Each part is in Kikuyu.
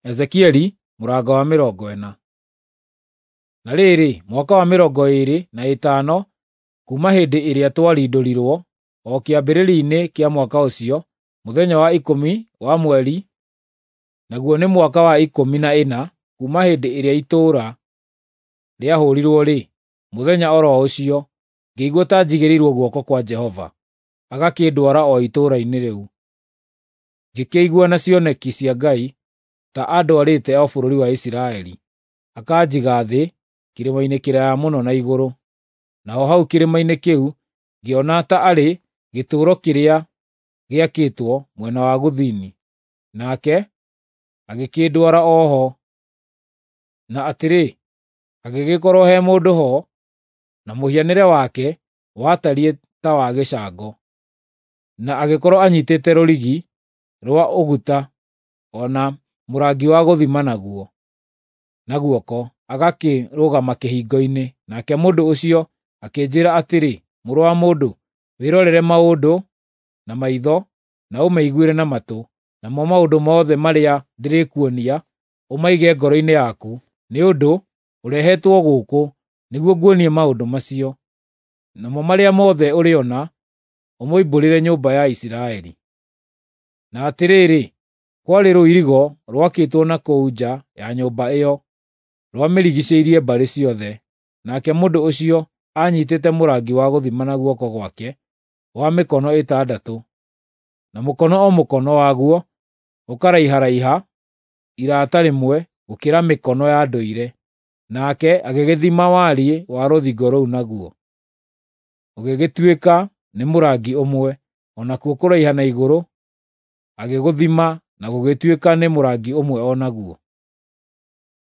Ezekieli mũrango wa 40. Na rĩrĩ, mwaka wa 25 kuuma hĩndĩ ĩrĩa twarindũrirwo, o kĩambĩrĩria-inĩ kĩa mwaka ũcio, mũthenya wa 10 wa mweri, naguo nĩ mwaka wa 14 kuuma hĩndĩ ĩrĩa itũũra rĩahũũrirwo-rĩ, mũthenya o ro ũcio, ngĩigua ta njigĩrĩirwo guoko kwa Jehova, agakĩndwara o itũũra-inĩ rĩu. Ngĩkĩigua na cioneki cia Ngai ta andwarĩte o bũrũri wa Isiraeli, akanjiga thĩ kĩrĩma-inĩ kĩraaya mũno na igũrũ. Naho hau kĩrĩma-inĩ kĩu ngĩona ta arĩ gĩtũũro kĩrĩa gĩakĩtwo mwena wa gũthini, nake agĩkĩndwara o ho. Na atĩrĩ, hagĩgĩkorwo he mũndũ ho, na mũhianĩre wake watariĩ ta wa gĩcango, na agĩkorwo anyiitĩte rũrigi rwa ũguta o na mũrangi wa gũthima naguo na guoko, agakĩrũgama kĩhingo-inĩ. Nake mũndũ ũcio akĩnjĩĩra atĩrĩ, “Mũrũ wa mũndũ, wĩrorere maũndũ na maitho na ũmeiguĩre na matũ, namo maũndũ mothe marĩa ndĩrĩkuonia ũmaige ngoro-inĩ yaku, nĩ ũndũ ũrehetwo gũkũ nĩguo nguonie maũndũ macio. Namo marĩa mothe ũrĩona ũmoimbũrĩre nyũmba ya Isiraeli.” Na atĩrĩrĩ, kwarĩ rũirigo rwakĩtwo na kũu nja ya nyũmba ĩyo, rwamĩrigiicĩirie mbarĩ ciothe. Nake mũndũ ũcio aanyiitĩte mũrangi wa gũthima na guoko gwake wa mĩkono ĩtandatũ, na mũkono o mũkono waguo ũkaraiharaiha irata rĩmwe gũkĩra mĩkono ya ndũire. Nake agĩgĩthima wariĩ wa rũthingo rũu naguo, ũgĩgĩtuĩka nĩ mũrangi ũmwe, o nakuo kũraiha na igũrũ agĩgũthima na gũgĩtuĩka nĩ mũrangi ũmwe o naguo.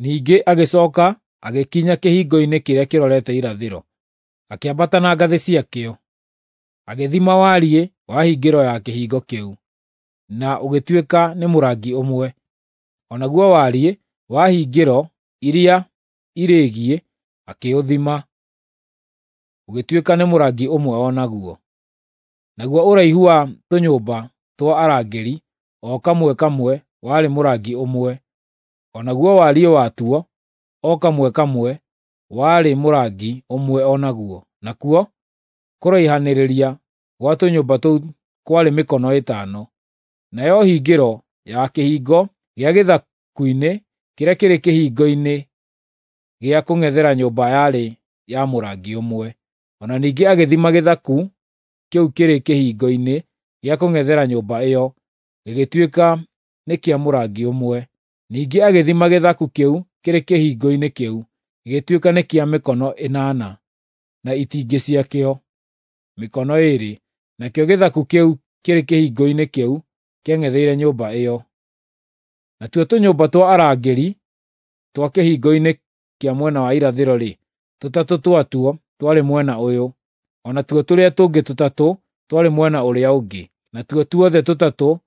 Ningĩ agĩcooka agĩkinya kĩhingo-inĩ kĩrĩa kĩrorete irathĩro, akĩambata na ngathĩ ciakĩo, agĩthima wariĩ wa hingĩro ya kĩhingo kĩu, na ũgĩtuĩka nĩ mũrangi ũmwe. O naguo wariĩ wa hingĩro iria irĩĩgiĩ akĩũthima, ũgĩtuĩka nĩ mũrangi ũmwe o naguo. Naguo ũraihu wa tũnyũmba twa arangĩri o kamwe kamwe warĩ mũrangi ũmwe, o naguo wariĩ watuo o kamwe kamwe warĩ mũrangi ũmwe o naguo. Nakuo kũraihanĩrĩria gwa tũnyũmba tũu kwarĩ mĩkono ĩtano. Nayo hingĩro ya kĩhingo gĩa gĩthaku-inĩ kĩrĩa kĩrĩ kĩhingo-inĩ gĩa kũng'ethera nyũmba yarĩ ya mũrangi ũmwe. O na ningĩ agĩthima gĩthaku kĩu kĩrĩ kĩhingo-inĩ gĩa kũng'ethera nyũmba ĩyo, gĩgĩtuĩka nĩ kĩa mũrangi ũmwe. Ningĩ agĩthima gĩthaku kĩu kĩrĩ kĩhingo-inĩ kĩu, gĩgĩtuĩka nĩ kĩa mĩkono ĩnana, na itingĩ ciakĩo mĩkono ĩĩrĩ. Nakĩo gĩthaku kĩu kĩrĩ kĩhingo-inĩ kĩu kĩang'etheire nyũmba ĩyo. Natuo tũnyũmba twa arangĩri twa kĩhingo-inĩ kĩa mwena wa irathĩro-rĩ, tũtatũ twatuo twarĩ mwena ũyũ, o natuo tũrĩa tũngĩ tũtatũ twarĩ mwena ũrĩa ũngĩ. Natuo tuothe tũtatũ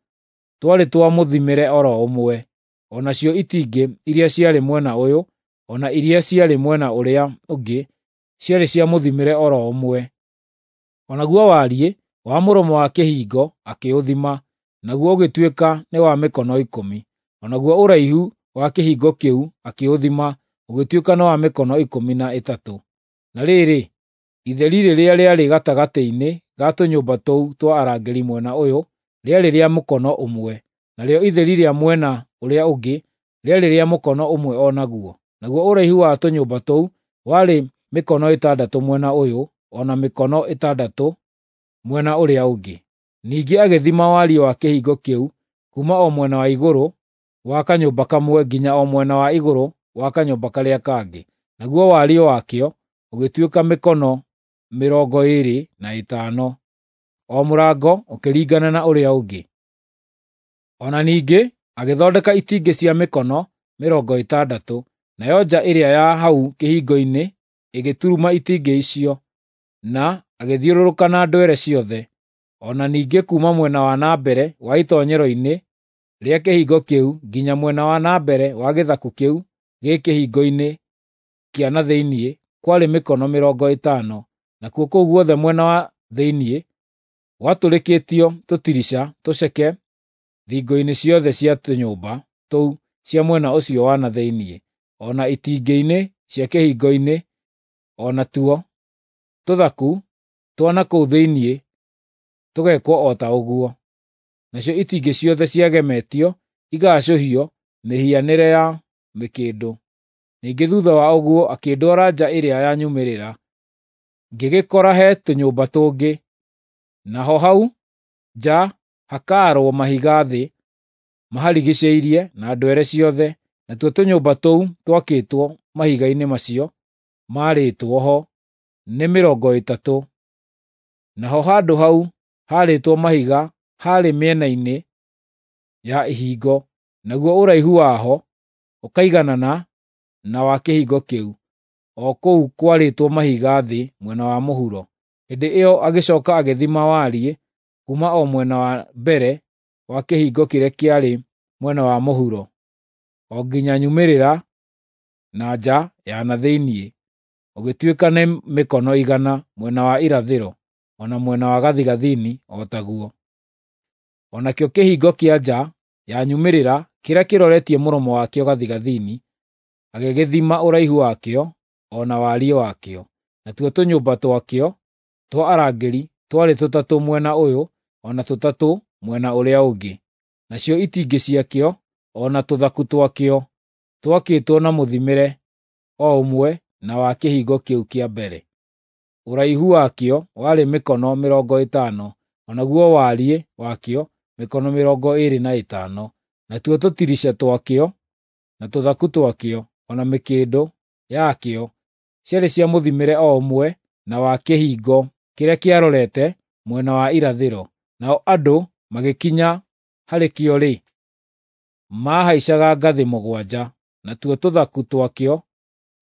twarĩ twa mũthimĩre o ro ũmwe. O nacio itingĩ iria ciarĩ mwena ũyũ, o na iria ciarĩ mwena ũrĩa ũngĩ ciarĩ cia mũthimĩre o ro ũmwe. O naguo wariĩ wa mũromo wa kĩhingo akĩũthima, naguo ũgĩtuĩka nĩ wa mĩkono 10. O naguo ũraihu wa kĩhingo kĩu akĩũthima, ũgĩtuĩka nĩ wa mĩkono 13. Na rĩrĩ, itheri rĩrĩa rĩarĩ gatagatĩ-inĩ ga tũnyũmba tũu twa arangĩri mwena ũyũ rĩarĩ rĩa mũkono ũmwe, narĩo itheri rĩa mwena ũrĩa ũngĩ rĩarĩ rĩa mũkono ũmwe o naguo. Naguo ũraihu wa tũnyũmba tũu warĩ mĩkono ĩtandatũ mwena ũyũ, o na mĩkono ĩtandatũ mwena ũrĩa ũngĩ. Ningĩ agĩthima wariĩ wa kĩhingo kĩu kuuma o mwena wa igũrũ wa kanyũmba kamwe nginya o mwena wa igũrũ wa kanyũmba karĩa kangĩ, naguo wariĩ wakĩo ũgĩtuĩka mĩkono 25, o mũrango ũkĩringana na ũrĩa ũngĩ. O na ningĩ agĩthondeka itingĩ cia mĩkono 60, nayo nja ĩrĩa ya hau kĩhingo-inĩ ĩgĩturuma itingĩ icio, na agĩthiũrũrũka na ndwere ciothe. O na ningĩ kuuma mwena wa na mbere wa itoonyero-inĩ rĩa kĩhingo kĩu nginya mwena wa na mbere wa gĩthaku kĩu gĩ kĩhingo-inĩ kĩa na thĩinĩ kwarĩ mĩkono 50, nakuo kũu guothe mwena wa thĩinĩ gwatũrĩkĩtio tũtirica tũceke thingo-inĩ ciothe cia tũnyũmba tũu cia mwena ũcio wa na thĩinĩ, o na itingĩ-inĩ cia kĩhingo-inĩ, o natuo tũthaku twa na kũu thĩinĩ tũgekwo o ta ũguo. Nacio itingĩ ciothe ciagemetio igaacũhio mĩhianĩre ya mĩkĩndũ. Ningĩ thuutha wa ũguo akĩndwara nja ĩrĩa ya nyumĩrĩra, ngĩgĩkora he tũnyũmba tũngĩ, naho hau nja hakaarwo mahiga thĩ maharigiicĩirie na ndwere ciothe, natuo tũnyũmba tũu twakĩtwo mahiga-inĩ macio maarĩtwo ho nĩ 30. Naho handũ hau haarĩtwo mahiga haarĩ mĩena-inĩ ya ihingo, naguo ũraihu waho ũkaiganana na wa kĩhingo kĩu, o kũu kwarĩtwo mahiga thĩ mwena wa mũhuro. Hĩndĩ ĩyo agĩcooka agĩthima wariĩ kuuma o mwena wa mbere wa kĩhingo kĩrĩa kĩarĩ mwena wa mũhuro, o nginya nyumĩrĩra na nja ya na thĩinĩ, ũgĩtuĩka nĩ mĩkono 100 mwena wa irathĩro, o na mwena wa gathigathini o taguo. O nakĩo kĩhingo kĩa nja ya nyumĩrĩra kĩrĩa kĩroretie mũromo wakĩo gathigathini, agĩgĩthima ũraihu wakĩo o na wariĩ wakĩo. Natuo tũnyũmba twakĩo twa arangĩri twarĩ tũtatũ mwena ũyũ o na tũtatũ mwena ũrĩa ũngĩ. Nacio itingĩ ciakĩo o na tũthaku twakĩo twakĩtwo na mũthimĩre o ũmwe na wa kĩhingo kĩu kĩa mbere. Ũraihu wakĩo warĩ mĩkono 50, o naguo wariĩ wakĩo mĩkono 25. Natuo tũtirica twakĩo na tũthaku twakĩo o na mĩkĩndũ yakĩo ciarĩ cia mũthimĩre o ũmwe na wa kĩhingo kĩrĩa kĩarorete mwena wa irathĩro. Nao andũ magĩkinya harĩ kĩo-rĩ, maahaicaga ngathĩ 7, natuo tũthaku twakĩo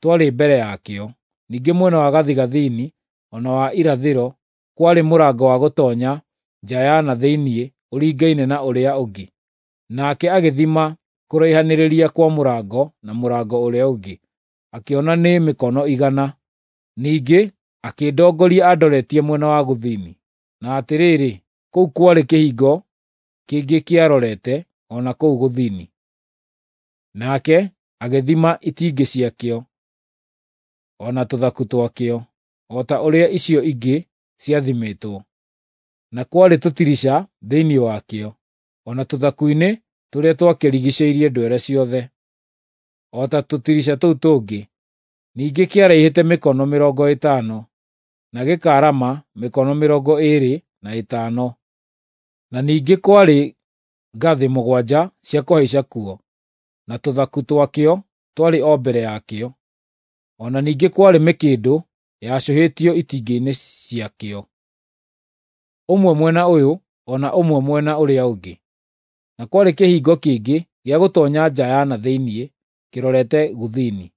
twarĩ mbere yakĩo. Ningĩ mwena wa gathigathini o na wa irathĩro kwarĩ mũrango wa gũtoonya nja ya na thĩinĩ ũringaine na ũrĩa ũngĩ. Nake agĩthima kũraihanĩrĩria kwa mũrango na mũrango ũrĩa ũngĩ, akĩona nĩ mĩkono 100. Ningĩ akĩndongoria andoretie mwena wa gũthini, na atĩrĩrĩ, kũu kwarĩ kĩhingo kĩngĩ kĩarorete o na kũu gũthini. Nake agĩthima itingĩ ciakĩo o na tũthaku twakĩo, o ta ũrĩa icio ingĩ ciathimĩtwo. Na kwarĩ tũtirica thĩinĩ wakĩo, o na tũthaku-inĩ tũrĩa twakĩrigiicĩirie ndwere ciothe, o ta tũtirica tũu tũngĩ. Ningĩ kĩaraihĩte mĩkono 50, na gĩkaarama mĩkono 25. Na ningĩ kwarĩ ngathĩ 7 cia kũhaica kuo, na tũthaku twakĩo twarĩ o mbere yakĩo. O na ningĩ kwarĩ mĩkĩndũ yacũhĩtio itingĩ-inĩ ciakĩo, ũmwe mwena ũyũ o na ũmwe mwena ũrĩa ũngĩ. Na kwarĩ kĩhingo kĩngĩ gĩa gũtoonya nja ya na thĩinĩ kĩrorete gũthini.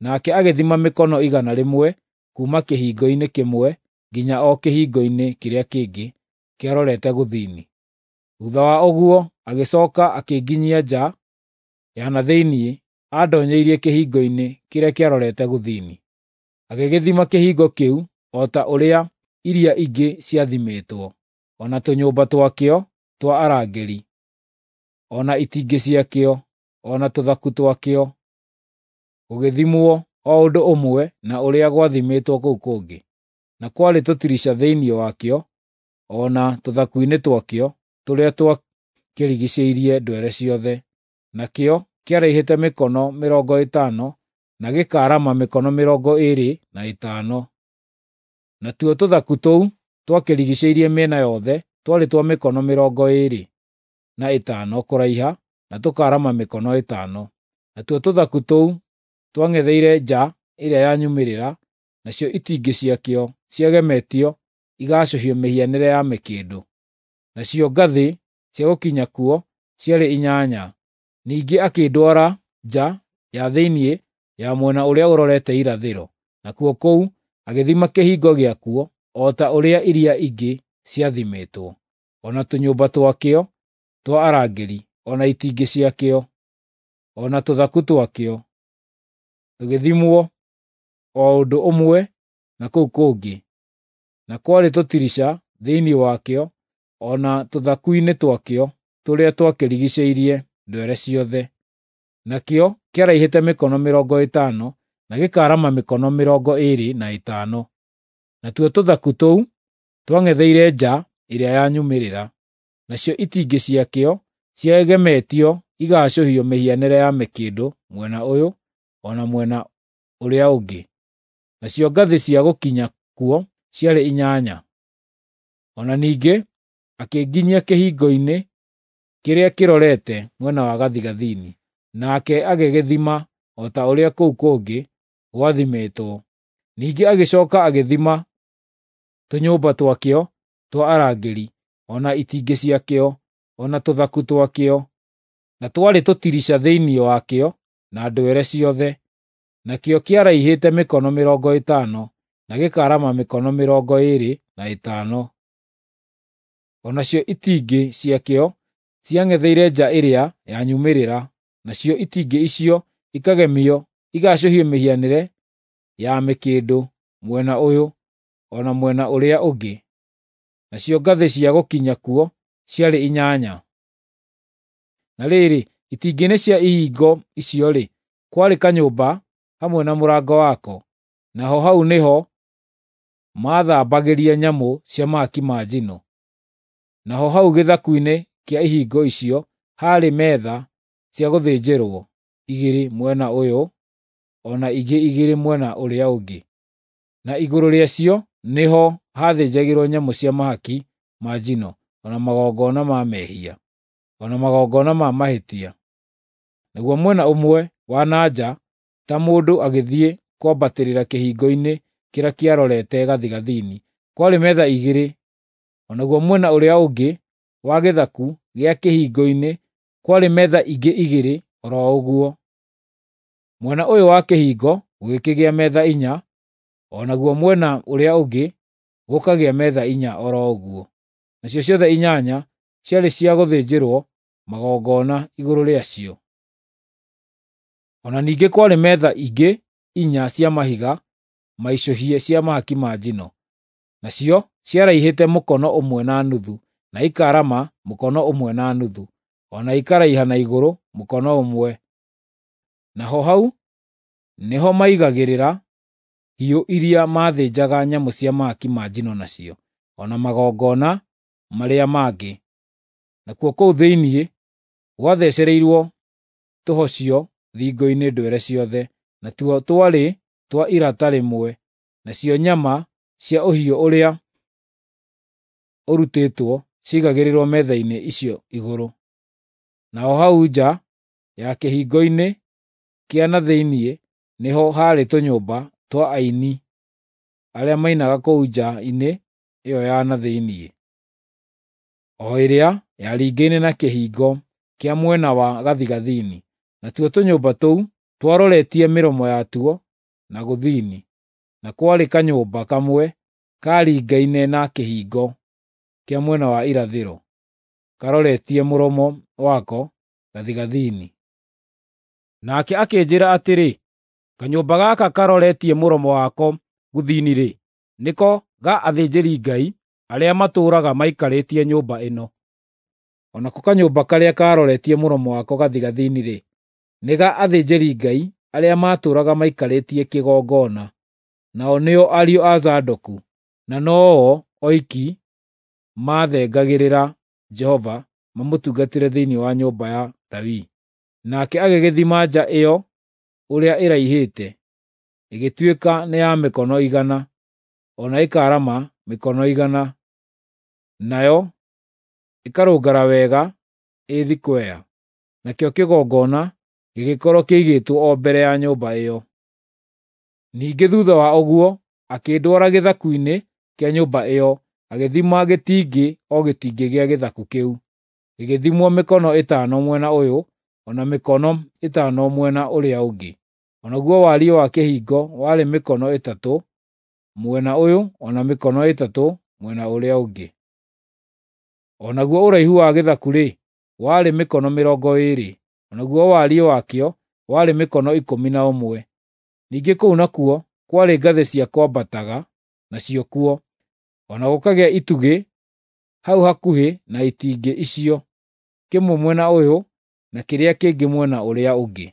Nake agĩthima mĩkono 100 kuuma kĩhingo-inĩ kĩmwe nginya o kĩhingo-inĩ kĩrĩa kĩngĩ kĩarorete gũthini. Thuutha wa ũguo agĩcooka akĩnginyia nja ya na thĩinĩ andoonyeirie kĩhingo-inĩ kĩrĩa kĩarorete gũthini. Agĩgĩthima kĩhingo kĩu o ta ũrĩa iria ingĩ ciathimĩtwo, o na tũnyũmba twakĩo twa arangĩri, o na itingĩ ciakĩo, o na tũthaku twakĩo, gũgĩthimwo o ũndũ ũmwe na ũrĩa gwathimĩtwo kũu kũngĩ. Na kwarĩ tũtirica thĩinĩ wakĩo o na tũthaku-inĩ twakĩo tũrĩa twakĩrigiicĩirie ndwere ciothe. Nakĩo kĩaraihĩte mĩkono 50 na gĩkaarama mĩkono 25. Natuo tũthaku tũu twakĩrigiicĩirie mĩena yothe twarĩ twa mĩkono 25 kũraiha na tũkaarama mĩkono 5. Natuo tũthaku tũu twang'etheire nja ĩrĩa ya nyumĩrĩra, nacio itingĩ ciakĩo ciagemetio igacũhio mĩhianĩre ya mĩkĩndũ. Nacio ngathĩ cia gũkinya kuo ciarĩ 8. Ningĩ akĩndwara nja ya thĩinĩ ya mwena ũrĩa ũrorete irathĩro, nakuo kũu agĩthima kĩhingo gĩakuo o ta ũrĩa iria ingĩ ciathimĩtwo, o na tũnyũmba twakĩo twa arangĩri, o na itingĩ ciakĩo, o na tũthaku twakĩo, tũgĩthimwo o ũndũ ũmwe na kũu kũngĩ. Na kwarĩ tũtirica thĩinĩ wakĩo o na tũthaku-inĩ twakĩo tũrĩa twakĩrigiicĩirie ndwere ciothe. Nakĩo kĩaraihĩte mĩkono 50 na gĩkaarama mĩkono 25. Natuo tũthaku tũu twang'etheire nja ĩrĩa ya nyumĩrĩra. Nacio itingĩ ciakĩo ciegemetio igaacũhio mĩhianĩre ya mĩkĩndũ mwena ũyũ o na mwena ũrĩa ũngĩ. Nacio ngathĩ cia gũkinya kuo ciarĩ 8. O na ningĩ akĩnginyia kĩhingo-inĩ kĩrĩa kĩrorete mwena wa gathigathini, nake agĩgĩthima o ta ũrĩa kũu kũngĩ gwathimĩtwo. Ningĩ agĩcooka agĩthima tũnyũmba twakĩo twa arangĩri, o na itingĩ ciakĩo, o na tũthaku twakĩo, na twarĩ tũtirica thĩinĩ wakĩo na ndwere ciothe. Nakĩo kĩaraihĩte mĩkono 50 na gĩkaarama mĩkono 25. O nacio itingĩ ciakĩo ciang'etheire nja ĩrĩa ya nyumĩrĩra, nacio itingĩ icio ikagemio igaacũhio mĩhianĩre ya mĩkĩndũ mwena ũyũ o na mwena ũrĩa ũngĩ. Nacio ngathĩ cia gũkinya kuo ciarĩ 8. Na rĩrĩ, itingĩ-inĩ cia ihingo icio-rĩ, kwarĩ kanyũmba hamwe na mũrango wako, naho hau nĩho maathambagĩria nyamũ cia mahaki ma njino. Naho hau gĩthaku-inĩ kĩa ihingo icio haarĩ metha cia gũthĩnjĩrwo, 2 mwena ũyũ o na ingĩ 2 mwena ũrĩa ũngĩ. Na igũrũ rĩacio nĩho haathĩnjagĩrwo nyamũ cia mahaki ma njino, o na magongona ma mehia, o na magongona ma mahĩtia. Naguo mwena ũmwe wa na nja, ta mũndũ agĩthiĩ kwambatĩrĩra kĩhingo-inĩ kĩrĩa kĩarorete gathigathini, kwarĩ metha 2, o naguo mwena ũrĩa ũngĩ wa gĩthaku gĩa kĩhingo-inĩ kwarĩ metha ingĩ 2 o ro ũguo. Mwena ũyũ wa kĩhingo gũgĩkĩgĩa metha 4, o naguo mwena ũrĩa ũngĩ gũkagĩa metha 4 o ro ũguo. Nacio ciothe 8 ciarĩ cia gũthĩnjĩrwo magongona igũrũ rĩacio. O na ningĩ kwarĩ metha ingĩ 4 cia mahiga maicũhie cia mahaki ma njino. Nacio ciaraihĩte mũkono 1.5 na ikaarama mũkono 1.5, o na ikaraiha na igũrũ mũkono 1. Naho hau nĩho maigagĩrĩra hiũ iria maathĩnjaga nyamũ cia mahaki ma njino nacio, o na magongona marĩa mangĩ. Nakuo kũu thĩinĩ gwathecereirwo tũhocio thingo-inĩ ndwere ciothe, natuo twarĩ twa irata rĩmwe, nacio nyama cia ũhiũ ũrĩa ũrutĩtwo ciaigagĩrĩrwo metha-inĩ icio igũrũ. Naho hau nja ya kĩhingo-inĩ kĩa na thĩinĩ nĩho haarĩ tũnyũmba twa aini arĩa mainaga kũu nja-inĩ ĩyo ya na thĩinĩ, o ĩrĩa yaringaine na kĩhingo kĩa mwena wa gathigathini. Natuo tũnyũmba tũu twaroretie mĩromo yatuo na gũthini, na kwarĩ kanyũmba kamwe kaaringaine na kĩhingo kĩa mwena wa irathĩro, karoretie mũromo wako gathigathini. Nake akĩnjĩĩra atĩrĩ, “Kanyũmba gaka karoretie mũromo wako gũthini-rĩ, nĩko ga athĩnjĩri-Ngai arĩa matũũraga maikarĩtie nyũmba ĩno. O nako kanyũmba karĩa karoretie mũromo wako gathigathini-rĩ, nĩ ga athĩnjĩri-Ngai arĩa matũũraga maikarĩtie kĩgongona, nao nĩo ariũ a Zadoku, na no-o oiki maathengagĩrĩra Jehova mamũtungatĩre thĩinĩ wa nyũmba ya Lawi.” Nake agĩgĩthima nja ĩyo ũrĩa ĩraihĩte, ĩgĩtuĩka nĩ ya mĩkono 100, o na ĩkaarama mĩkono 100, nayo ĩkarũngara wega ĩ thikwea. Nakĩo kĩgongona gĩgĩkorwo kĩigĩtwo o mbere ya nyũmba ĩyo. Ningĩ thuutha wa ũguo akĩndwara gĩthaku-inĩ kĩa nyũmba ĩyo, agĩthima gĩtingĩ o gĩtingĩ gĩa gĩthaku kĩu, gĩgĩthimwo mĩkono 5 mwena ũyũ o na mĩkono 5 mwena ũrĩa ũngĩ. O naguo wariĩ wa kĩhingo warĩ mĩkono 3 mwena ũyũ o na mĩkono 3 mwena ũrĩa ũngĩ. O naguo ũraihu wa gĩthaku-rĩ, warĩ mĩkono 20, o naguo wariĩ wakĩo warĩ mĩkono 11. Ningĩ kũu nakuo kwarĩ ngathĩ cia kwambataga nacio kuo, o na gũkagĩa itugĩ hau hakuhĩ na itingĩ icio, kĩmwe mwena ũyũ na kĩrĩa kĩngĩ mwena ũrĩa ũngĩ.